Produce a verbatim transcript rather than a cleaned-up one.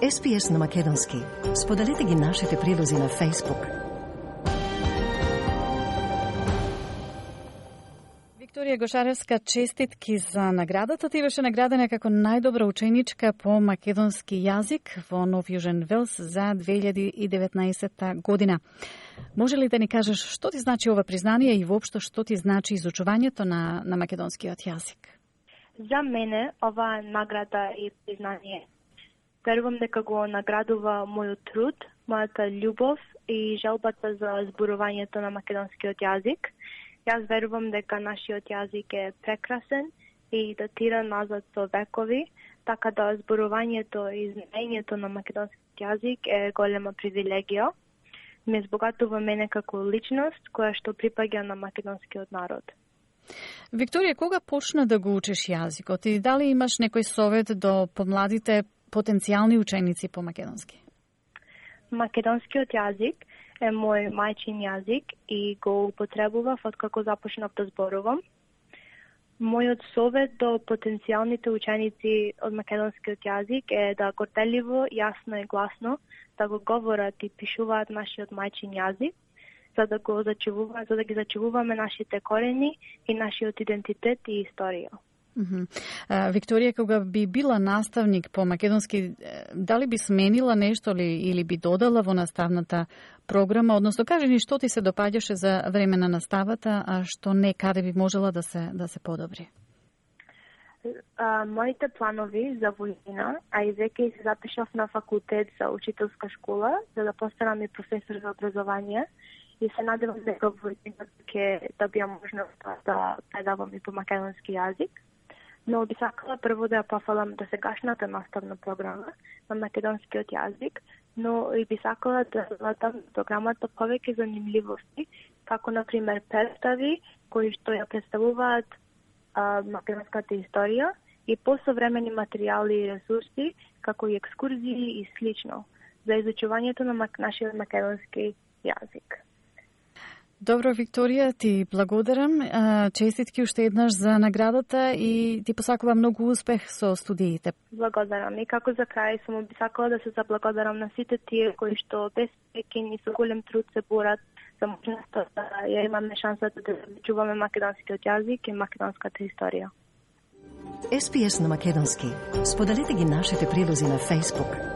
Ес Пи Ес на македонски. Споделете ги нашите прилози на Facebook. Викторија Гошаревска, честитки за наградата. Ти беше наградена како најдобра ученичка по македонски јазик во Нов Јужен Велс за две илјади и деветнаесетта година. Може ли да ни кажеш што ти значи ова признание и воопшто што ти значи изучувањето на, на македонскиот јазик? За мене ова награда и признание верувам дека го наградува мојот труд, мојата љубов и желбата за зборувањето на македонскиот јазик. Јас верувам дека нашиот јазик е прекрасен и датира назад со векови, така да зборувањето и знаењето на македонскиот јазик е голема привилегија. Ме збогатува мене како личност која што припаѓа на македонскиот народ. Викторија, кога почна да го учиш јазикот и дали имаш некој совет до помладите потенцијални ученици по македонски? Македонскиот јазик е мој мајчин јазик и го употребував откако започнав да зборувам. Мојот совет до потенцијалните ученици од македонскиот јазик е да горделиво, јасно и гласно да го говорат и пишуваат нашиот мајчин јазик, за да го зачувува, за да ги зачувуваме нашите корени и нашиот идентитет и историја. Uh-huh. Uh, Викторија, кога би била наставник по македонски, дали би сменила нешто ли, или би додала во наставната програма, односно кажи ни што ти се допаѓаше за време на наставата, а што не, каде би можела да се да се подобри? Uh, моите планови за војина, а и веќе се запишав на факултет за учителска школа, за да постанам и професор за образование, и се надевам дека војина ќе добијам можност да предавам и по македонски јазик. Но би сакала прво да ја пофалам до сегашната наставна програма на македонскиот јазик, но и би сакала да додам програмата повеќе занимливости, како например представи кои што ја представуваат а, македонската историја и посовремени материјали и ресурси, како и екскурзии и слично, за изучувањето на мак... нашиот македонски јазик. Добро, Викторија, ти благодарам. Честитки уште еднаш за наградата и ти посакувам многу успех со студиите. Благодарам. И како за крај само би сакала да се заблагодарам на сите тие кои што без прекин и со голем труд се борат за можноста да ја имаме шансата да чуваме македонскиот јазик и македонската историја. Ес Пи Ес на македонски. Споделете ги нашите прилози на Facebook.